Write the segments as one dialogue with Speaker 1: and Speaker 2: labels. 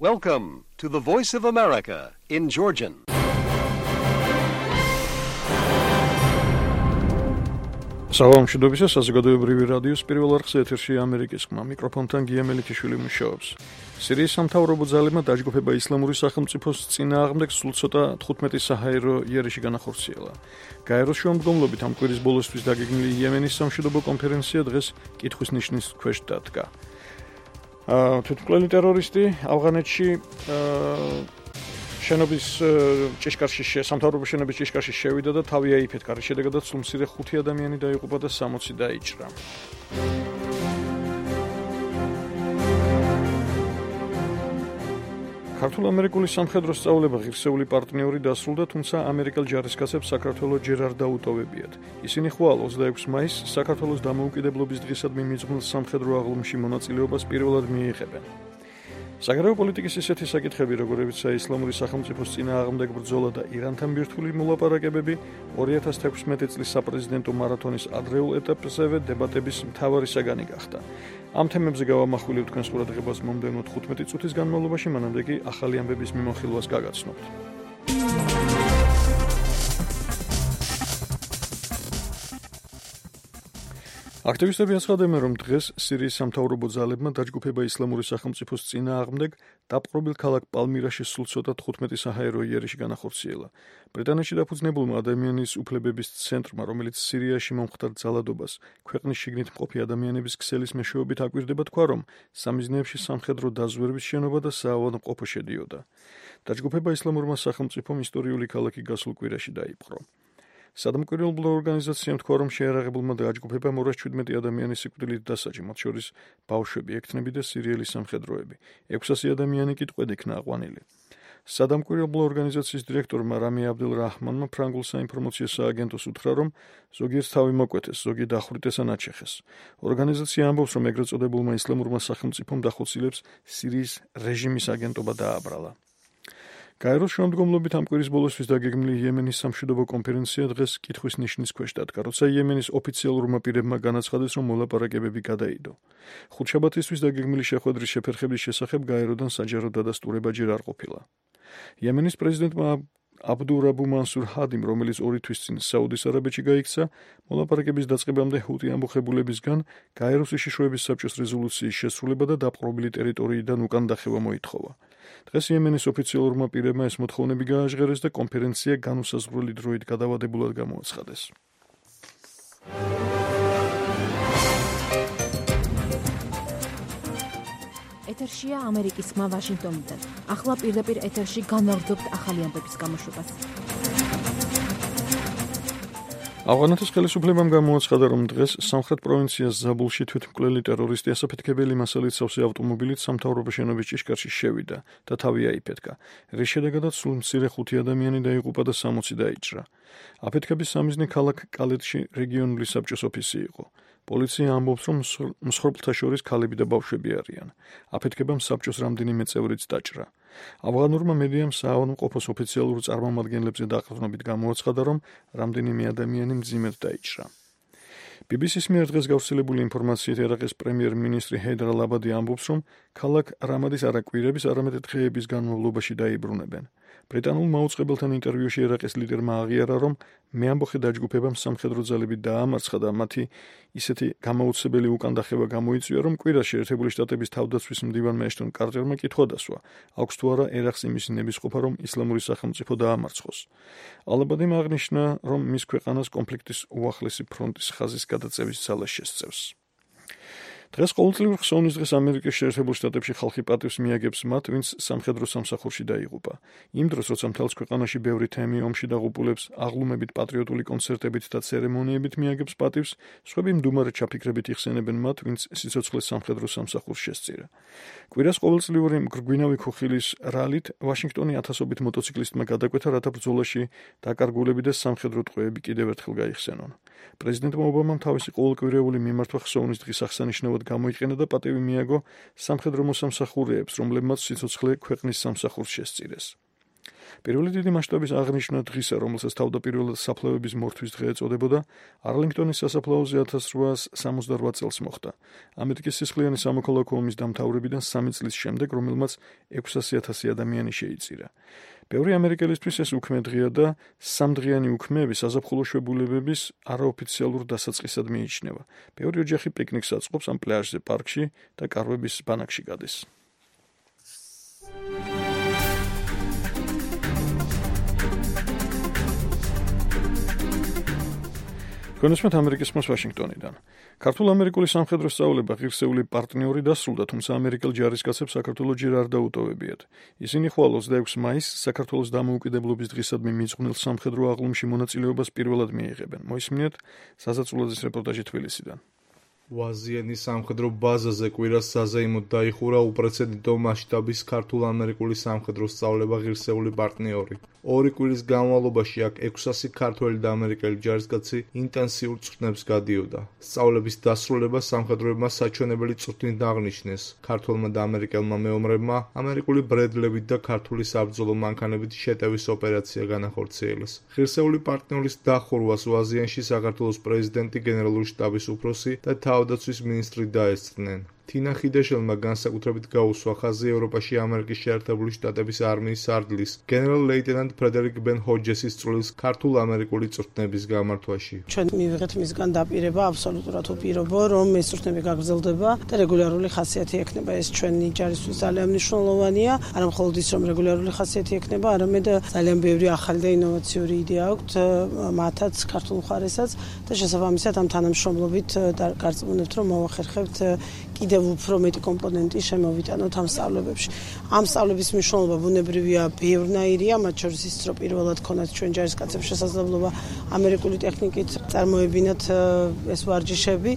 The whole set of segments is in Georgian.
Speaker 1: Welcome to the Voice of America in Georgian.
Speaker 2: Salam მშვიდობისა, საზოგადოებრივი რადიოს პირველ არხზე ეთერში ამერიკის ხმა, მიკროფონთან გია მელიქიშვილი მუშაობს. სირიის სამთავრობო ძალებმა დაჯგუფება ისლამური სახელმწიფოს წინააღმდეგ სულ ცოტა 15 საჰაერო იერიში განახორციელა. გაეროს შუამდგომლობით ამ კვირის ბოლოსთვის დაგეგმილი იემენის სამშვიდობო კონფერენცია დღეს კითხვის ნიშნის ქვეშ დადგა. თვითმკვლელი ტერორისტი ავღანეთში შენობის ჭიშკარში სამთავრობო შენობის ჭიშკარში შევიდა და თავი აიფეთქა. რის შედეგადაც სულ მცირე 5 ადამიანი დაიღუპა და 60 დაიჭრა. ქართულ-ამერიკული სამხედრო სწავლება ღირსეული პარტნიორი დასრულდა, თუმცა ამერიკელ ჯარისკაცებს საქართველოს ჯერ არ დაუტოვებიათ. ისინი ხვალ 26 მაისს საქართველოს დამოუკიდებლობის დღისადმი მიძღვნილ სამხედრო აღლუმში მონაწილეობას პირველად მიიღებენ. საგარეო პოლიტიკის ისეთი საკითხები, როგორებიცაა ისლამური სახელმწიფოს წინააღმდეგ ბრძოლა და ირანთან ბირთვული მოლაპარაკებები, 2016 წლის საპრეზიდენტო მარათონის ადრეულ ეტაპზევე დებატების მთავარი საგანი გახდა. ამ თემებზე გავამახვილებთ თქვენს ყურადღებას მომდევნო 15 წუთის განმავლობაში, მანამდე კი ახალი ამბების მიმოხილვას გაგაცნობთ. აქტივისტები აცხადებენ, რომ დღეს სირიის სამთავრობო ძალებმა დაჯგუფება ისლამური სახელმწიფოს წინააღმდეგ დაპყრობილ ქალაქ პალმირაში სულ ცოტა 15 საჰაერო იერიში განახორციელა. ბრიტანეთში დაფუძნებულმა ადამიანის უფლებების ცენტრმა, რომელიც სირიაში მომხდარ ძალადობას ქვეყნის შიგნით მყოფი ადამიანების ქსელის მეშვეობით აკვირდება, თქვა, რომ სამიზნეებში სამხედრო დაზვერვის შენობა და საავადმყოფო შედიოდა. დაჯგუფება ისლამურმა სახელმწიფომ ისტორიული ქალაქი გასულ კვირაში დაიპყრო. სადამკვირვებლო ორგანიზაციამ თქვა, რომ შეიარაღებულმა დაჯგუფებამ 217 ადამიანის სიკვდილით დასაჯა, მათ შორის ბავშვები, ექთნები და სირიელი სამხედროები. 600 ადამიანი კი ტყვედ იქნა აყვანილი. სადამკვირვებლო ორგანიზაციის დირექტორმა რამი აბდელ-რაჰმანმა ფრანგულ საინფორმაციო სააგენტოს უთხრა, რომ ზოგიერთ თავი მოკვეთეს, ზოგი დახვრიტეს ან აჩეხეს. ორგანიზაცია ამბობს, რომ ეგრეთ წოდებულმა ისლამურმა სახელმწიფომ დახოცილებს სირიის რეჟიმის აგენტობა დააბრალა. გაეროს შუამდგომლობით ამ კვირის ბოლოსთვის დაგეგმილი იემენის სამშვიდობო კონფერენცია დღეს კითხვის ნიშნის ქვეშ დადგა, როცა იემენის ოფიციალურმა პირებმა განაცხადეს, რომ მოლაპარაკებები გადაიდო. ხუთშაბათისთვის დაგეგმილი შეხვედრის შეფერხების შესახებ გაეროდან საჯარო დადასტურება ჯერ არ ყოფილა. იემენის პრეზიდენტმა აბდურაბუ მანსურ ჰადიმ, რომელიც 2 თვის წინ საუდის არაბეთში გაიქცა, მოლაპარაკების დაწყებამდე ჰუტი ამბოხებულებისგან გაეროს უშიშროების საბჭოს რეზოლუციის შესრულება და დაპყრობილი ტერიტორიიდან უკან დახევა მოითხოვა. დღეს იემენის ოფიციალურმა პირებმა ეს მოთხოვნები გააჟღერეს და კონფერენცია განუსაზღვრელი დროით გადავადებულად გამოაცხადეს.
Speaker 3: ეთერშია ამერიკის ხმა ვაშინგტონიდან. ახლა პირდაპირ ეთერში განვაგრძობთ ახალი ამბების გამოშვებას.
Speaker 2: ავღანეთის ხელისუფლებამ გამოაცხადა, რომ დღეს სამხრეთ პროვინციას ზაბულში თვითმკვლელი ტერორისტი ასაფეთქებელი მასალით სავსე ავტომობილით სამთავრობო შენობის ჭიშკარში შევიდა და თავი აიფეთქა. რის შედეგადაც სულ მცირე 5 ადამიანი დაიღუპა და 60 დაიჭრა. აფეთქების სამიზნე ქალაქ კალეთში რეგიონული საბჭოს ოფისი იყო. პოლიცია ამბობს, რომ მსხვერპლთა შორის ქალები და ბავშვები არიან. აფეთქებამ საბჭოს რამდენიმე წევრიც დაჭრა. ავღანურმა მედიამ საავადმყოფოს ოფიციალურ წარმომადგენლებზე დაყრდნობით გამოაცხადა, რომ რამდენიმე ადამიანი მძიმედ დაიჭრა. BBC-ს მიერ დღეს გავრცელებული ინფორმაციით ერაყის პრემიერ-მინისტრი ჰეიდარ ალ-აბადი ამბობს, რომ ქალაქ რამადის არაკვირების, არამედ დღეების განმავლობაში დაიბრუნებენ. ბრიტანულ მაუწყებელთან ინტერვიუში ერაყის ლიდერმა აღიარა, რომ მეამბოხე დაჯგუფებამ სამხედრო ძალები დაამარცხა და მათი ისეთი გამოუცებელი უკანდახევა გამოიწვია, რომ კვირაში ერთებული შტატების თავდაცვის მდივანმა ეშტონ კარტერმა კითხვა დასვა, აქვს თუ არა ერაყს იმის ნებისყოფა, რომ ისლამური სახელმწიფო დაამარცხოს. ალ-აბადიმ აღნიშნა, რომ მის ქვეყანას კონფლიქტის უახლესი ფრონტის ხაზის გადაწევის ძალა შესწევს. დღეს ყოველწლიურ ხსოვნის დღეს ამერიკის შეერთებულ შტატებში ხალხი პატივს მიაგებს მათ, ვინც სამხედრო სამსახურში დაიღუპა. იმ დროს, როცა მთელს ქვეყანაში ბევრი თემი ომში დაღუპულებს აღლუმებით, პატრიოტული კონცერტებით და ცერემონიებით მიაგებს პატივს, სხვები მდუმარე ჩაფიქრებით იხსენებენ მათ, ვინც სიცოცხლეს სამხედრო სამსახურს შესწირა. კვირას ყოველწლიური მგრგვინავი ქუხილის რალით ვაშინგტონი ათასობით მოტოციკლისტმა გადაკვეთა, რათა ბრძოლაში დაკარგულები და სამხედრო ტყვეები კიდევ ერთხელ გაიხსენონ. პრეზიდენტმა ობამამ თავისი ყოველკვირეული მიმართვა ხსოვნის დღის აღსანიშნავად გამოიყენა და პატივი მიაგო სამხედრო მოსამსახურეებს, რომლებმაც სიცოცხლე ქვეყნის სამსახურს შესწირეს. პირველი დიდი მასშტაბის აღნიშვნა დღისა, რომელსაც თავდაპირველად საფლავების მორთვის დღე ეწოდებოდა, არლინგტონის სასაფლაოზე 1868 წელს მოხდა. ამერიკის სისხლიანი სამოქალაქო ომის დამთავრებიდან 3 წლის შემდეგ, რომელმაც 600,000 ადამიანი შეიწირა. ბევრი ამერიკელისთვის ეს უქმე დღეა და სამდღიანი უქმეები საზაფხულო შვებულებების არაოფიციალურ დასაწყისად მიიჩნევა. ბევრი ოჯახი პიკნიკს აწყობს ამ პლაჟზე, პარკში და კარვების ბანაკში გადის. გონესმეთ ამერიკის ხმას ვაშინგტონიდან. ქართულ-ამერიკული სამხედრო სწავლება ღირსეული პარტნიორი დასრულდა, თუმცა ამერიკელ ჯარისკაცებს საქართველოს ჯერ არ დაუტოვებიათ. ისინი ხვალ 26 მაისს საქართველოს დამოუკიდებლობის დღისადმი მიძღვნილ სამხედრო აღლუმში მონაწილეობას პირველად მიიღებენ. მოისმინეთ საზაწულაძის რეპორტაჟი თბილისიდან.
Speaker 4: ვაზიანის სამხედრო ბაზაზე კვირას საზეიმოდ დაიხურა უპრეცედენტო მასშტაბის ქართულ-ამერიკული სამხედრო სწავლება ღირსეული პარტნიორი. 2 კვირის განმავლობაში აქ 600 ქართველი და ამერიკელი ჯარისკაცი ინტენსიურ წვრთნებს გადიოდა. სწავლების დასრულება სამხედროებმა საჩვენებელი წვრთნით აღნიშნეს. ქართველმა და ამერიკელმა მეომრებმა ამერიკული ბრედლებით და ქართული საბრძოლო მანქანებით შეტევის ოპერაცია განახორციელეს. ღირსეული პარტნიორის დახურვას ვაზიანში საქართველოს პრეზიდენტი, გენერალური შტაბის უფროსი და თავდაცვის მინისტრი დაესწრნენ. თინა ხიდაშელმა განსაკუთრებით გაუსვა ხაზი ევროპაში ამერიკის შეერთებული შტატების არმიის სარდლის გენერალ-ლეიტენანტ ფრედერიკ ბენ ჰოჯესის წვლილს ქართულ-ამერიკული წვრთნების გამართვაში.
Speaker 5: ჩვენ მივიღეთ მისგან დაპირება, აბსოლუტურად უპირობო, რომ ეს წვრთნები გაგრძელდება და რეგულარული ხასიათი ექნება. ეს ჩვენი ჯარისთვის ძალიან მნიშვნელოვანია. არა მხოლოდ ის, რომ რეგულარული ხასიათი ექნება, არამედ ძალიან ბევრი ახალი და ინოვაციური იდეა აქვთ მათაც ქართულ მხარესაც და შესაბამისად ამ თანამშრომლობით გარწმუნებთ, რომ მოვახერხებთ კიდევ უფრო მეტი კომპონენტი შემოვიტანოთ ამ სწავლებებში. ამ სწავლების მნიშვნელობა ბუნებრივია ბევრნაირია, მათ შორის ის, რომ პირველად ქონათ ჩვენ ჯარისკაცებს შესაძლებლობა ამერიკული ტექნიკით წარმოებინათ ეს ვარჯიშები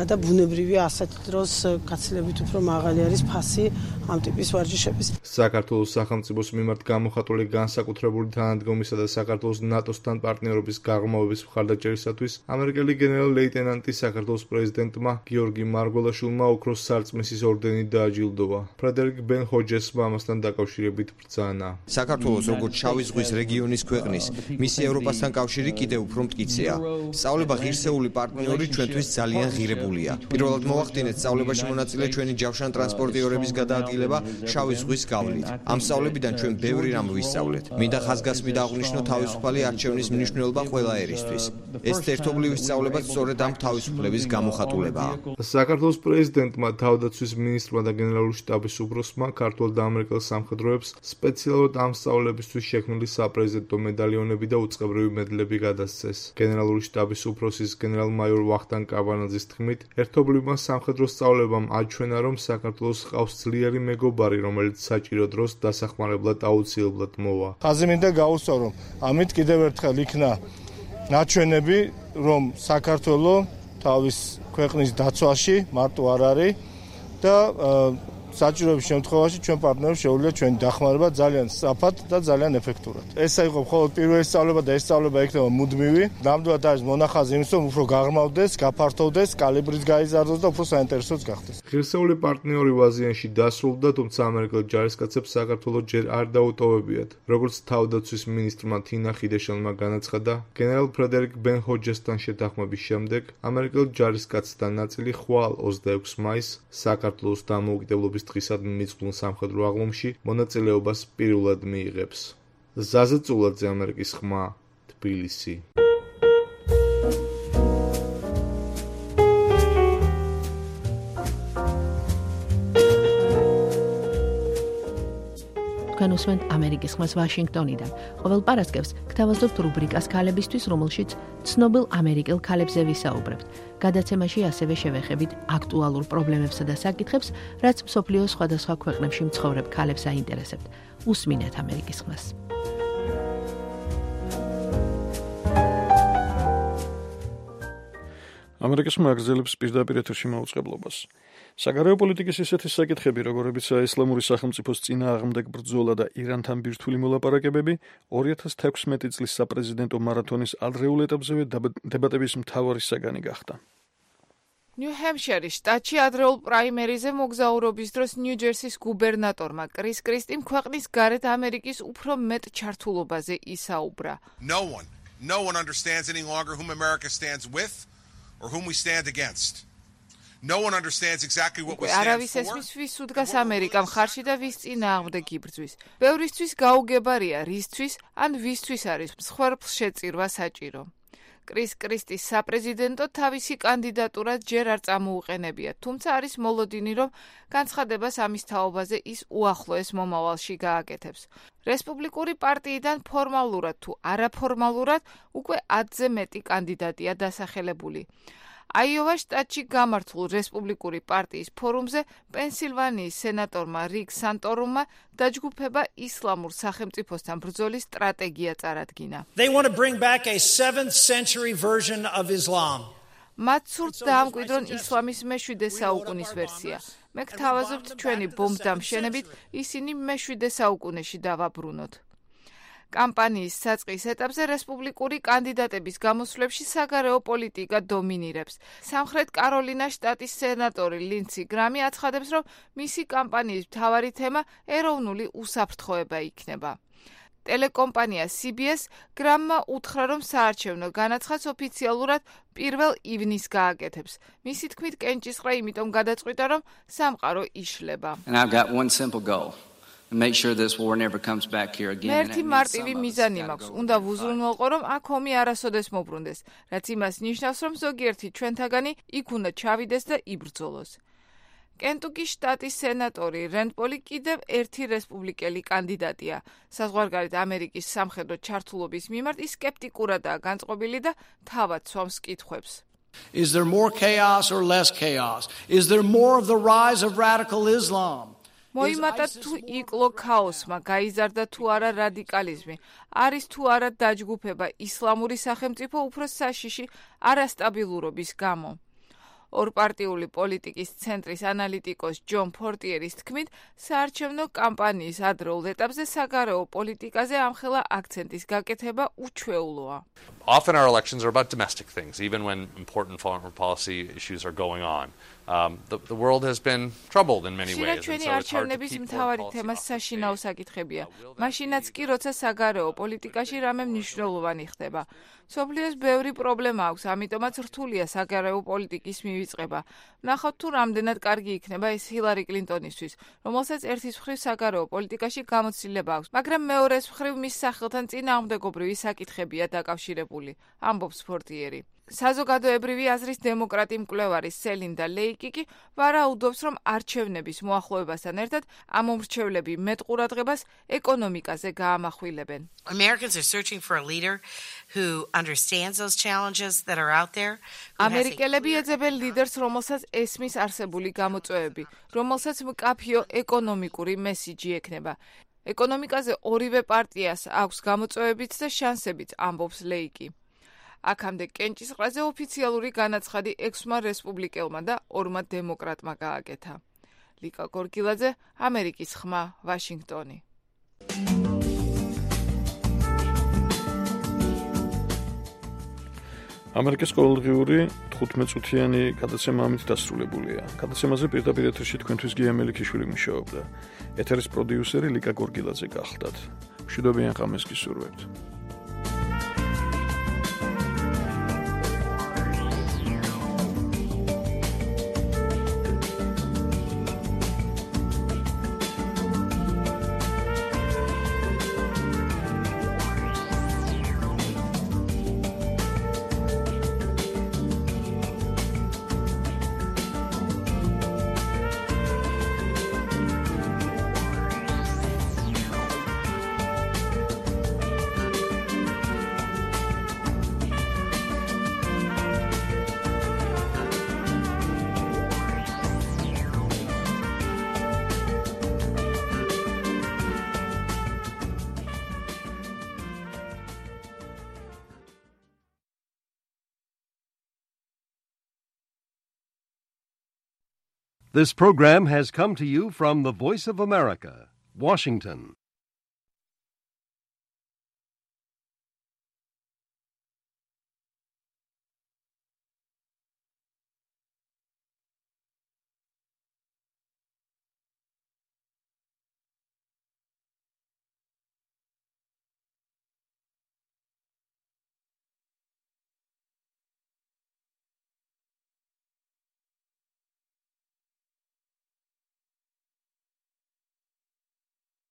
Speaker 5: და ბუნებრივია ასეთ დროს გაცილებით უფრო მაღალი არის ფასი ამ ტიპის ვარჯიშების.
Speaker 4: საქართველოს სახელმწიფოს მიმართ გამოხატული განსაკუთრებული თანადგომისა და საქართველოს ნატოსთან პარტნიორობის გაღრმავების მხარდაჭერისათვის ამერიკელი გენერალ-ლეიტენანტი საქართველოს პრეზიდენტმა გიორგი მარგველაშვილმა ოქროს სარწმისის ორდენით დააჯილდოვა. ფრედერიკ ბენ ჰოჯესმა ამასთან დაკავშირებით ბრძანა.
Speaker 6: საქართველოს როგორც შავი ზღვის რეგიონის ქვეყნის, მისი ევროპასთან კავშირი კიდევ უფრო მტკიცეა. სწავლება ღირსეული პარტნიორი ჩვენთვის ძალიან ღირებულია. პირველად მოვახდინეთ სწავლებაში მონაწილე ჩვენი ჯავშან ტრანსპორტიორების გადაადგილება შავი ზღვის გავლით. ამ სწავლებიდან ჩვენ ბევრი რამ ვისწავლეთ. მინდა ხაზგასმით აღვნიშნო თავისუფალი არჩევნის მნიშვნელობა ყველა ერისთვის. ეს ერთობლივი სწავლება სწორედ ამ თავისუფლების გამოხატულებაა.
Speaker 4: საქართველოს პრეზიდენტმა, თავდაცვის მინისტრმა და გენერალური შტაბის უფროსმა ქართულ და ამერიკელ სამხედროებს სპეციალურად ამ სწავლებისთვის შექმნილი საპრეზიდენტო მედალიონები და უწყებრივი მედლები გადასცეს. გენერალური შტაბის უფროსის გენერალ-მაიორ ვახტანგ კაბანაძის თქმით, ერთობლივმა სამხედრო სწავლებამ აჩვენა, რომ საქართველოს ჰყავს ძლიერი მეგობარი, რომელიც საჭირო დროს დასახმარებლად აუცილებლად მოვა.
Speaker 7: ხაზი მინდა გაუსვა, რომ ამით კიდევ ერთხელ იქნა ნაჩვენები, რომ საქართველო თავის ქვეყნის დაცვაში მარტო არ არის და საჭიროების შემთხვევაში ჩვენ პარტნიორებს შეუძლია ჩვენი დახმარება ძალიან სწრაფად და ძალიან ეფექტურად. ესა იყო მხოლოდ პირველი სწავლება და ეს სწავლება იქნება მუდმივი. ნამდვილად არის მონახაზი იმის, რომ უფრო გაღრმავდეს, გაფართოვდეს, კალიბრიც გაიზარდოს და უფრო საინტერესოც გახდეს.
Speaker 4: ღირსეული პარტნიორი ვაზიანში დასრულდა, თუმცა ამერიკელ ჯარისკაცებს საქართველოს ჯერ არ დაუტოვებიათ. როგორც თავდაცვის მინისტრმა თინა ხიდაშელმა განაცხადა, გენერალ ფრედერიკ ბენ ჰოჯესთან შეთანხმების შემდეგ ამერიკელ ჯარისკაცთა ნაწილი ხვალ 26 მაისს საქართველოს დამოუკიდებლობის დღისადმი მიძღვნილ სამხედრო აღლუმში მონაწილეობას პირველად მიიღებს. ზაზა წულაძე, ამერიკის ხმა, თბილისი.
Speaker 3: თქვენ უსმენთ ამერიკის ხმას ვაშინგტონიდან. ყოველ პარასკევს გთავაზობთ რუბრიკას ქალებისთვის, რომელშიც ცნობილ ამერიკელ ქალებზე ვისაუბრებთ. გადაცემაში ასევე შევეხებით აქტუალურ პრობლემებსა და საკითხებს, რაც მსოფლიოს სხვადასხვა ქვეყნებში მცხოვრებ ქალებს აინტერესებთ. უსმინეთ ამერიკის ხმას.
Speaker 2: ამერიკის ხმა აგრძელებს პირდაპირ ეთერში მაუწყებლობას. საგარეო პოლიტიკის ისეთი საკითხები, როგორებიცაა ისლამური სახელმწიფოს წინააღმდეგ ბრძოლა და ირანთან ბირთვული მოლაპარაკებები, 2016 წლის საპრეზიდენტო მარათონის ადრეულ ეტაპზევე დებატების მთავარი საგანი გახდა.
Speaker 8: ნიუ-ჰემპშაირის შტატში ადრეულ პრაიმერიზე მოგზაურობის დროს ნიუ-ჯერსის გუბერნატორმა კრის კრისტიმ ქვეყნის გარეთ ამერიკის უფრო მეტ ჩართულობაზე ისაუბრა.
Speaker 9: No one understands any longer whom America stands with or whom we stand against. No one understands exactly what we stand for.
Speaker 8: არავის ესმის ვის უდგას ამერიკა მხარში და ვის წინააღმდეგ იბრძვის. ბევრისთვის გაუგებარია რისთვის ან ვისთვის არის მსხვერპლს შეწირვა საჭირო. კრის კრისტის საპრეზიდენტო თავისი კანდიდატურა ჯერ არ წამოუყენებია, თუმცა არის მოლოდინი, რომ განცხადებას ამის თაობაზე ის უახლოეს მომავალში გააკეთებს. რესპუბლიკური პარტიიდან ფორმალურად თუ არაფორმალურად უკვე 10-ზე მეტი კანდიდატია დასახელებული. აიოვას შტატში გამართულ რესპუბლიკური პარტიის ფორუმზე პენსილვანიის სენატორმა რიკ სანტორუმმა დაჯგუფება ისლამურ სახელმწიფოსთან ბრძოლის სტრატეგია წარადგინა.
Speaker 10: They want to bring back a 7th century version of Islam.
Speaker 8: მათ სურთ დაამკვიდრონ ისლამის მე-7 საუკუნის ვერსია. მე გთავაზობთ ჩვენი ბომბდამშენებით ისინი მე-7 საუკუნეში დავაბრუნოთ. კამპანიის საწყის ეტაპზე რესპუბლიკური კანდიდატების გამოსვლებში საგარეო პოლიტიკა დომინირებს. სამხრეთ კაროლინას შტატის სენატორი ლინდსი გრამი აცხადებს, რომ მისი კამპანიის მთავარი თემა ეროვნული უსაფრთხოება იქნება. ტელეკომპანია CBS გრამმა უთხრა, რომ საარჩევნო განაცხადს ოფიციალურად 1 ივნისს გააკეთებს. მისი თქმით, კენჭისყრა იმიტომ გადაწყვიტა, რომ სამყარო იშლება.
Speaker 11: And I've got one simple goal. Make sure this war never comes back here again.
Speaker 8: ერთი მარტივი მიზანი მაქვს. უნდა ვუზრუნველყო, რომ აქ ომი არასოდეს მობრუნდეს, რაც იმას ნიშნავს, რომ ზოგიერთი ჩვენთაგანი იქ უნდა ჩავიდეს და იბრძოლოს. კენტუკის შტატის სენატორი რენდ პოლი კიდევ ერთი რესპუბლიკელი კანდიდატია. საზღვარგარეთ ამერიკის სამხედრო ჩართულობის მიმართ ის სკეპტიკურადაა განწყობილი და თავად სვამს კითხვებს.
Speaker 10: Is there more chaos or less chaos? Is there more of the rise of radical Islam?
Speaker 8: მოიმატა თუ იკლო ქაოსმა, გაიზარდა თუ არა რადიკალიზმი, არის თუ არა დაჯგუფება ისლამური სახელმწიფო უფრო საშიში არასტაბილურობის გამო. ორპარტიული პოლიტიკის ცენტრის ანალიტიკოს ჯონ ფორტიერის თქმით, საარჩევნო კამპანიის ადრეულ ეტაპზე საგარეო პოლიტიკაზე ამხელა აქცენტის გაკეთება უჩვეულოა.
Speaker 12: Often our elections are about domestic things, even when important foreign policy issues are going on. The world has been troubled in many ways.
Speaker 8: ჩვენი არჩევნების მთავარი თემა საშინაო საკითხებია. მაშინაც კი, როცა საგარეო პოლიტიკაში რამე მნიშვნელოვანი ხდება. სოფლიოს ბევრი პრობლემა აქვს, ამიტომაც რთულია საგარეო პოლიტიკის მივიწყება. ნახოთ თუ რამდენად კარგი იქნება ეს ჰილარი კლინტონისთვის, რომელსაც ერთის მხრივ საგარეო პოლიტიკაში გამოცდილება აქვს, მაგრამ მეორეს მხრივ მის სახელთან წინააღმდეგობრივი საკითხებია დაკავშირებული, ამბობს ფორტიერი. საზოგადოებრივი აზრის დემოკრატი მკვლევარი სელინდა ლეიკი კი ვარაუდობს, რომ არჩევნების მოახლოებასთან ერთად ამ მომრჩევლები მეტ ყურადღებას ეკონომიკაზე გაამახვილებენ.
Speaker 13: Americans are searching for a leader who understands those challenges that are out there.
Speaker 8: ამერიკელები ეძებენ ლიდერს, რომელსაც ესმის არსებული გამოწვევები, რომელსაც მკაფიო ეკონომიკური მესიჯი ექნება. ეკონომიკაზე ორივე პარტიას აქვს გამოწვევებიც და შანსებიც, ამბობს ლეიკი. აქამდე კენჭისყრაზე ოფიციალური განაცხადი 6-მა რესპუბლიკელმა და 2-მა დემოკრატმა გააკეთა. ლიკა გორგილაძე, ამერიკის ხმა, ვაშინგტონი.
Speaker 2: ამერიკის ყოველდღიური 15-წუთიანი გადაცემა ამით დასრულებულია. გადაცემაზე პირდაპირ ეთერში თქვენთვის გია მელიქიშვილი მუშაობდა. ეთერის პროდიუსერი ლიკა გორგილაძე გახლდათ. მშვიდობიან ღამეს გისურვებთ.
Speaker 1: This program has come to you from the Voice of America, Washington.